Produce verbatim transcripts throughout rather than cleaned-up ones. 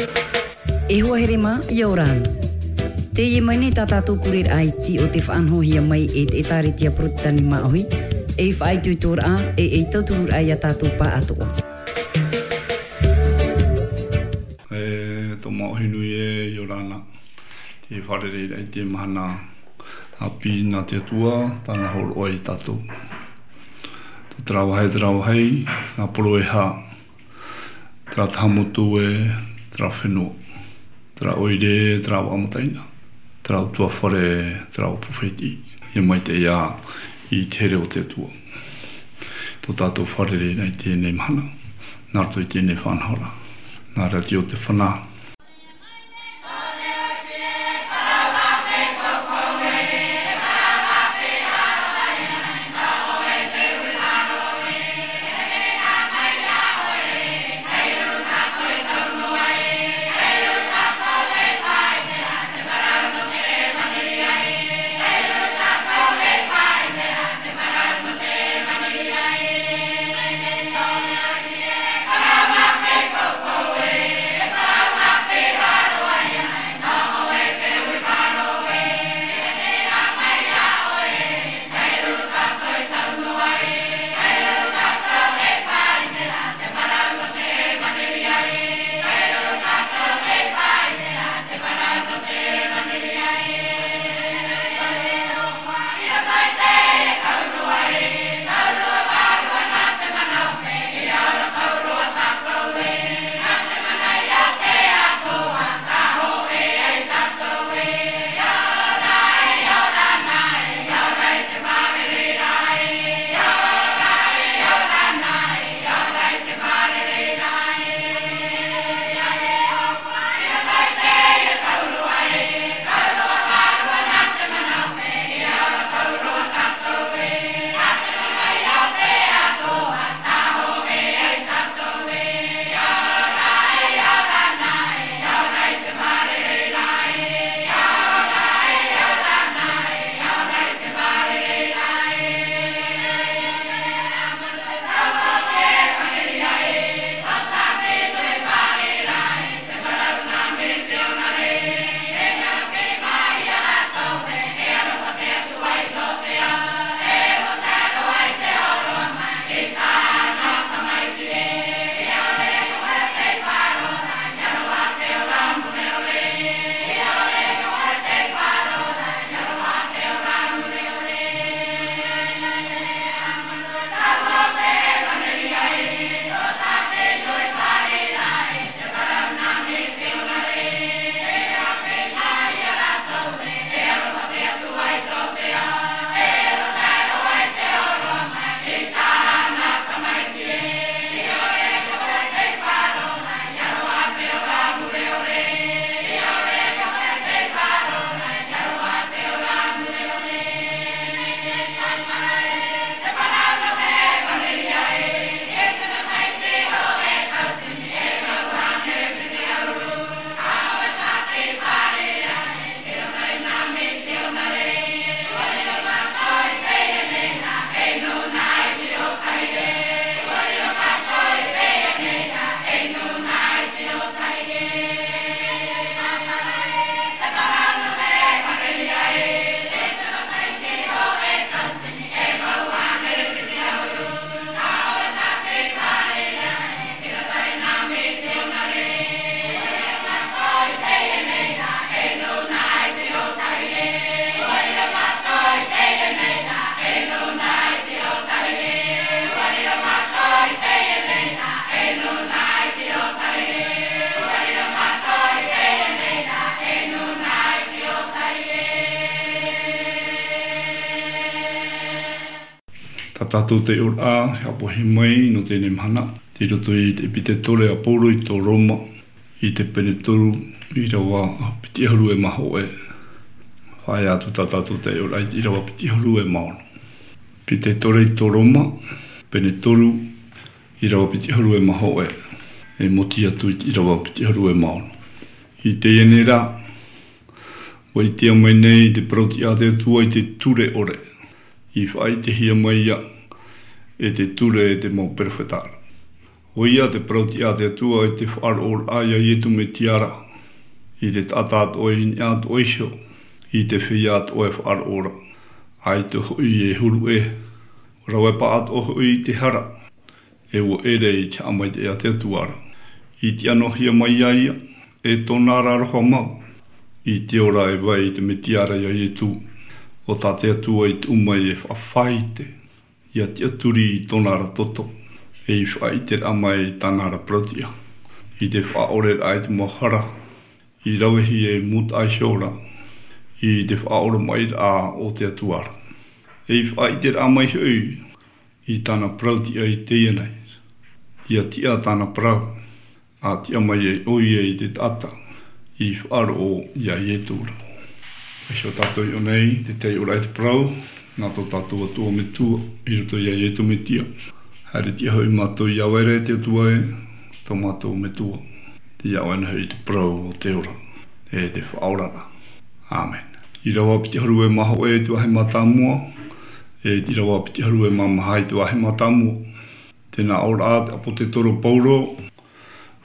E hoa here mā, ʻia ora na. Teie mai nei tā tātou kureraʻa iti o te faʻanahohia mai e te ʻĒtārētia Porotetani Māʻohi, ei faʻaitoitoraʻa, e ei tautururaʻa ia tātou pāʻatoʻa. E tō Māʻohi nui e, ʻia ora na. Te fārereiraʻa i te mahana ʻāpī nā te Atua, tāna hōroʻa ia tātou. Te tarawahe, tarawahe, nā poro e hā, terā taha motu e, terā fenua, terā ʻoire, terā vaʻa mataʻeinaʻa, terā ʻutuāfare, terā ʻōpū fētiʻi. ʻIa maitaʻi ā i te here o te Atua tō tātou fārereiraʻa i teie mahana, nā roto i teie faʻanahoraʻa. Nā Rātio Te Fana. Tā tātou taiʻoraʻa e haʻapohe mai nō teie mahana, tei roto i te ʻepiteto a Pauro i tō Roma, i te pene toru, ʻīrava piti ʻahuru e mā hōʻē. Faʻaea atu tā tātou taiʻoraʻa i te ʻīrava piti ʻahuru e mā ono. ʻEpiteto i tō Roma, pene toru, ʻīrava piti ʻahuru e mā hōʻē, e mōti atu i te ʻīrava piti ʻahuru e mā ono. I teie nei rā, ʻua ʻitea mai nei te parau tiʻa a te Atua i te ture ʻore, i faʻaʻitehia mai ïa e te ture e te mau perofeta ra. ʻOia te parau tiʻa a te Atua i te faʻaroʻoraʻa ia Iesu Mesia ra, i te taʻata atoʻa i niʻa atoʻa iho, i te feiā atoʻa e faʻaroʻo ra, ʻaita hoʻi e huru ʻē, rave paʻatoʻa hoʻi i te hara, e ʻua ʻere i te haʻamaitaʻi a te Atua ra. I tiʻa noa hia mai ia ia, e tōna ra aroha mau, i te ora e vai i te Mesia ra ia Iesu, ʻo tā te Atua i tuʻu mai e faʻafaʻaite, ia tiʻaturi i tōna ra toto, e i faʻaʻiteraʻa mai i tāna ra parau tiʻa, i te faʻaʻoreraʻa i te mau hara, i ravehia i mūtaʻa iho ra, i te faʻaʻoromaʻiraʻa o te Atua ra. E i faʻaʻiteraʻa mai hoʻi, i tāna parau tiʻa i teie nei, ia tiʻa tāna parau, a tiʻa mai ai ʻoia i te taʻata, i faʻaroʻo ia Iesu ra. Iho tātou i ʻō nei, te tahi ora i te parau, nā tō tātou Atua Metua, i roto ia Iesu Mesia. Haere tiʻa hoʻi mātou i ʻāvaere te Atua e, tō mātou Metua. Te ia ʻoe na hoʻi te parau o te ora, e te faʻaoraraʻa. Amen. ʻĪrava piti ʻahuru e mā hōʻē i te vāhi mātāmua, e ʻīrava piti ʻahuru e mā maha i te vāhi mātāmua. Tēnā ʻō ra te ʻāpōsetolo Paulo,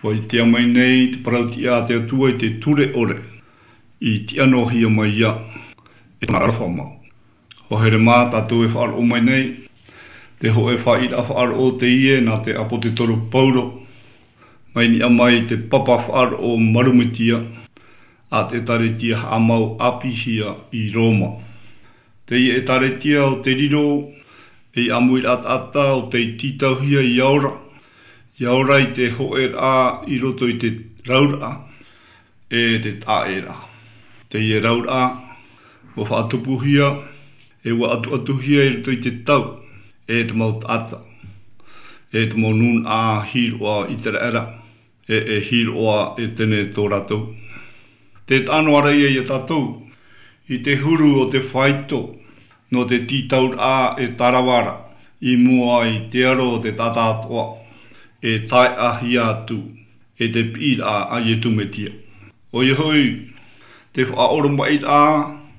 ʻua ʻitea mai nei te parau tiʻa a te Atua i te ture ʻore, i tiʻa noa hia mai ia, e tōna ra aroha mau. ʻUa haere mā tātou e faʻaroʻo mai nei, te hōʻē faʻaʻiteraʻa faʻaroʻo teie nā te ʻāpōsetolo Paulo, mai niʻa mai te papa faʻaroʻo Marumetia, a te ʻēkālesia haʻamau ʻāpīhia i Roma. Teie ʻēkālesia ʻo tei riro ei ʻāmuiraʻa taʻata ʻo tei tītauhia ia ora, ia ora i te hōʻēraʻa i roto i te rauraʻa, e te taʻeraʻa. Teie rauraʻa, ʻua faʻatupuhia, e ʻua ʻatuʻatuhia i roto i te tau, e te mau taʻata, e te mau nūnaʻa hīroʻa ʻĪteraʻera, e, e hīroʻa ʻētene tō rātou. Tē taʻa noa ra ia ia tātou, i te huru o te faito, nō te tītauraʻa e tarava ra, i mua i te aro o te taʻata atoʻa, e taeʻahia atu, e te piʻiraʻa a Iesu Mesia. ʻOia hoʻi, te faʻaʻoromaʻiraʻa,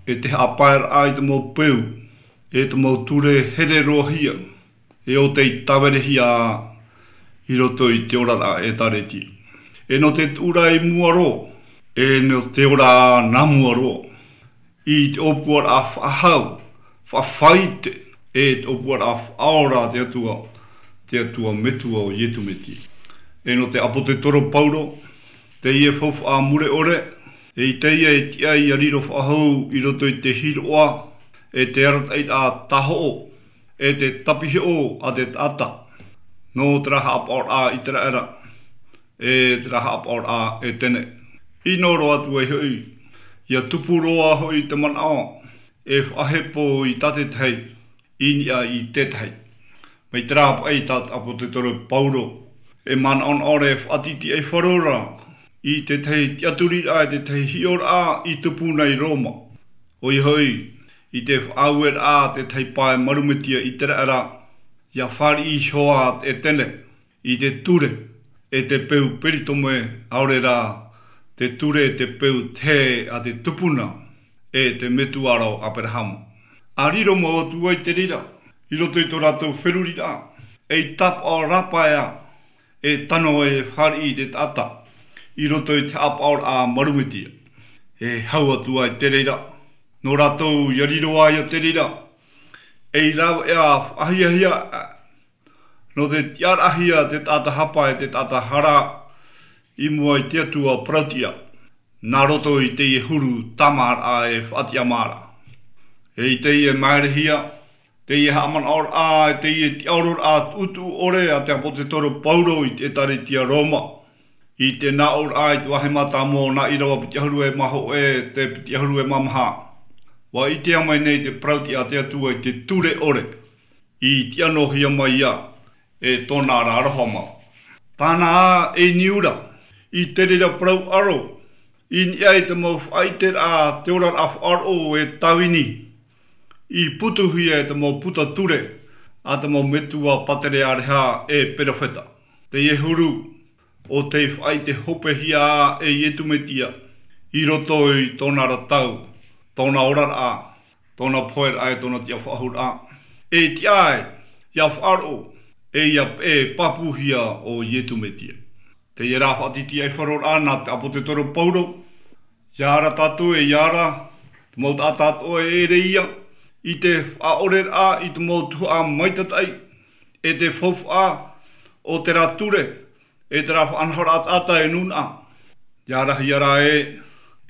e te haʻapaeraʻa i te mau peu, e te mau ture here roa hia, e ʻo tei tāverehia i roto i te oraraʻa ʻēkālesia. E nō te tuʻu ra i mua roa, e nō te ora nā mua roa, i te ʻōpuaraʻa faʻahou, faʻafaʻaite, e te ʻōpuaraʻa faʻaora a te Atua, te Atua Metua ʻo Iesu Mesia. E nō te ʻāpōsetolo Paulo, teie faufaʻa mure ʻore, e i teie e tiʻa ia riro faʻahou i roto i te hīroʻa, e te arataʻiraʻa tāhoʻo, e te tapihoʻo a te taʻata, nō terā haʻapaʻoraʻa ʻĪteraʻera, e terā haʻapaʻoraʻa ʻētene. ʻIno roa atu ai hoʻi, ia tupu roa hoʻi te manaʻo, e faʻahepo i tā te tahi, i niʻa i te tahi. Mai terā paʻi tā te ʻāpōsetolo Paulo, e manaʻonaʻo ra e faʻatītīʻaifaro ra, i te tahi tiʻaturiraʻa, i te tahi hiʻoraʻa, i tupu nei i Roma. ʻOia hoʻi, i te faʻaueraʻa a te tahi pae Marumetia ʻĪteraʻera, ia fāriʻi iho ā ʻētene, i te ture, e te peu peritome, ʻaore rā, te ture, te peu tē a te tupuna, e te metua ra ʻo Aberahama. ʻA riro mau atu ai te reira, i roto i tō rātou feruriraʻa, ei tāpaʻo rāpae ā, e tano e fāriʻi i te taʻata, i roto i te haʻapaʻoraʻa Marumetia. E hau atu ai te reira, nō rātou ia riro ai ia te reira, ei rāveʻa faʻahiahia, nō te tiʻaraʻahia te taʻata hapa e te taʻata hara i mua i te Atua parauʻtiʻa, nā roto i teie huru tāmāraʻa e faʻatiʻamā ra. E i teie maerehia, teie haʻamanaʻoraʻa, e teie tiʻaororaʻa tuʻutuʻu ʻore a te ʻāpōsetolo Paulo i te ʻēkālesia Roma, i te nā ʻōraʻa i te vāhi mātāmua o nā ʻīrava piti ʻahuru e mā hōʻē, te piti ʻahuru e mā maha. ʻUa ʻitea mai nei te parauʻtiʻa a te Atua i te ture ʻore, i tiʻa noa hia mai ia, e tōna ra aroha mau. Tāna ā ei niu ra, i te reira parau ʻaro, i niʻa i te mau faʻaʻiteraʻa, te oraraʻa faʻaroʻo e tāvini, i putuhia e te mau puta ture, a te mau metua pātereareha e perofeta. Teie huru, ʻo tei faʻaʻite hopehia ā e Iesu Mesia, i roto i tōna ra tau, tōna oraraʻa, tōna poheraʻa e tōna tiʻafaʻahouraʻa. E tiʻa ai, ia faʻaroʻo, e ia e pāpūhia o Iesu Mesia. Teie rā faʻatitiʻaifaroraʻa nā te ʻāpōsetolo Paulo, ʻia ara tātou e ʻia ara, te mau taʻata atoʻa e ʻere ia, i te faʻaʻoreraʻa i te mau tuhaʻa maitataʻi, e te faufaʻa o terā ture, e terā faʻanahoraʻa taʻata e nūnaʻa. ʻIa arahia rā ē,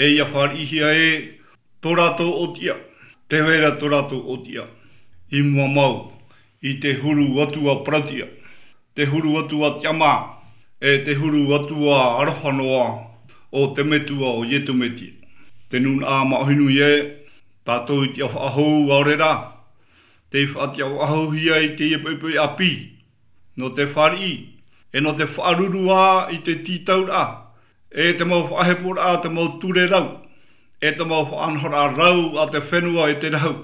e ʻia fāriʻihia ē, tō rātou ʻōtiʻa, tē vai ra tō rātou ʻōtiʻa. I mua mau, i te huru atua parauʻtiʻa, te huru atua tiʻamā, e te huru atua aroha noa o te Metua o Iesu Mesia. Te nūnaʻa māʻohi nui ē, tātou i tiʻa faʻahou ʻaore rā, tei faʻatiʻa faʻahouhia i teie poʻipoʻi ʻāpī, nō te fāriʻi, e nō te faʻaruru ā i te tītauraʻa, e te mau faʻaheporaʻa, te mau ture rau, e te mau faʻanahoraʻa rau a te fenua e te rahu,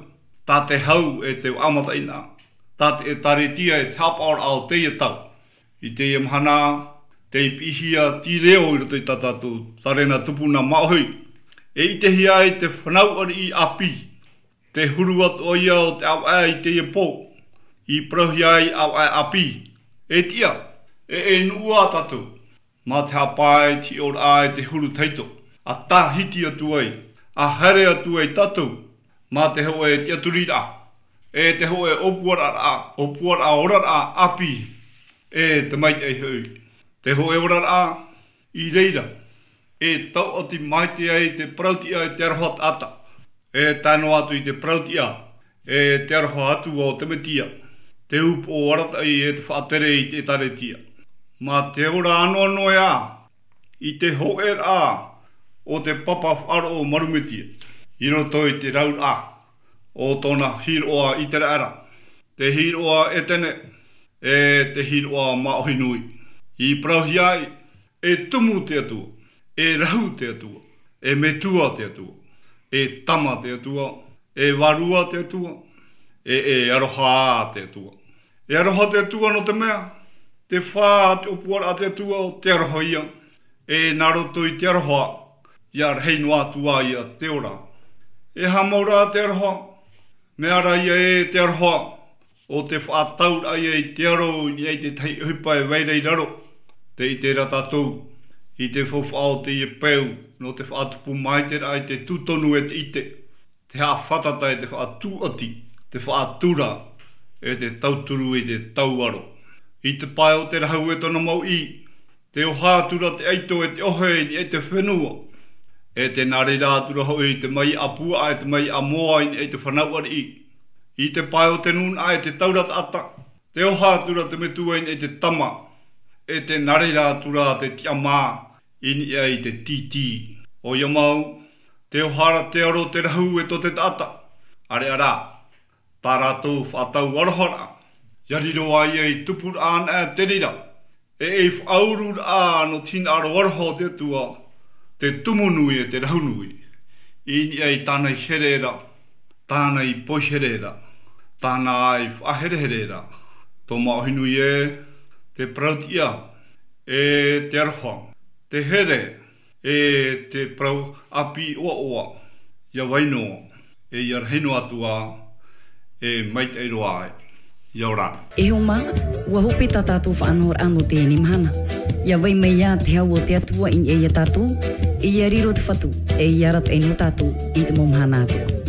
tā te hau e te vaʻa mataʻeinaʻa, tā te ʻēkālesia e te haʻapaʻoraʻa o teie tau. I teie mahana, tei piʻihia te reo i roto i tā tātou tārena tupuna māʻohi, e ʻitehia ai te fānau ariʻi ʻāpī, te huru atoʻa ia o te ʻāvaʻe i teie pō, i parauhia ai ʻāvaʻe ʻāpī. E tiʻa, e, e nuʻu ā tātou, mā te haʻapae i te hiʻoraʻa e te huru tahito, ʻa tāhiti atu ai, ʻa haere atu ai tātou, mā te hōʻē tiʻaturiraʻa, e te hōʻē ʻōpuaraʻa, ʻōpuaraʻa oraraʻa ʻāpī, e te maitaʻi hoʻi. Te hōʻē oraraʻa, i reira, e tauʻati maite ai te parauʻtiʻa e te aroha taʻata, e tae noa atu i te parauʻtiʻa, e te aroha atua o te Mesia, te upoʻo arataʻi e te faʻatere i te ʻēkālesia. Mā te ora anoanoa ā, i te hōʻēraʻa o te papa faʻaroʻo maru Mesia, i roto i te rauraʻa o tōna hīroʻa ʻĪteraʻera, te hīroʻa ʻētene, e te hīroʻa māʻohi nui. I parauhia ai, e tumu te Atua, e rahu te Atua, e metua te Atua, e tama te Atua, e vārua te Atua, e, e aroha te Atua. E aroha te Atua nō te mea, te fā a te ʻōpuaraʻa te Atua o te aroha ia, e nā roto i te aroha, ʻia rahi noa atu ā ia te ora. E aha mau rā te aroha, mea rā ia ē te aroha, ʻo te faʻatauraʻa ia i te aro i niʻa i te tahi ʻohipa e vai ra i raro. Tē ʻite ra tātou, i te faufaʻa o teie peu, nō te faʻatupu maitaʻiraʻa i te tū tonu e te ʻite, te haʻafātata e te faʻatūʻati, te faʻatura, e te tauturu i te tauaro. I te pae o te rahu e tōna mau ʻī, tē oha atu ra te ʻaito e te ʻohe i niʻa i te fenua, e tē nā reira atu ra hoʻi te maiʻa puaʻa e te maiʻa moa i niʻa i te fānau ariʻi. I te pae o te nūnaʻa e te taura taʻata, tē oha atu ra te metua i niʻa i te tama, e tē nā reira atu ra te tiʻamā i niʻa i te tītī. ʻOia mau, tē oha ra te aro te rahu e tō te taʻata. ʻAreʻa rā, tā rātou faʻatau aroharaʻa, ʻia riro ā ia i tupuraʻa anaʻe te reira, e ei faʻaururaʻa nō te hinaʻaro aroha o te Atua, te tumu nui e te rahu nui, i niʻa i tāna i here ra, tāna i poihere ra, tāna i faʻaherehere ra. Tō māʻohi nui ē, te parauʻtiʻa, e te aroha, te here, e te parau ʻāpī ʻoaʻoa, ʻia vai noa, e ʻia rahi noa atu ā, e maitaʻi roa ai. ʻIa ora na. E hoa mā, ʻua hope tā tātou faʻanahoraʻa nō teie mahana. ʻIa vai mai ā te hau o te Atua i niʻa ia tātou, e ʻia riro te Fatu, e ʻia arataʻi noa tātou i te mau mahana atoʻa.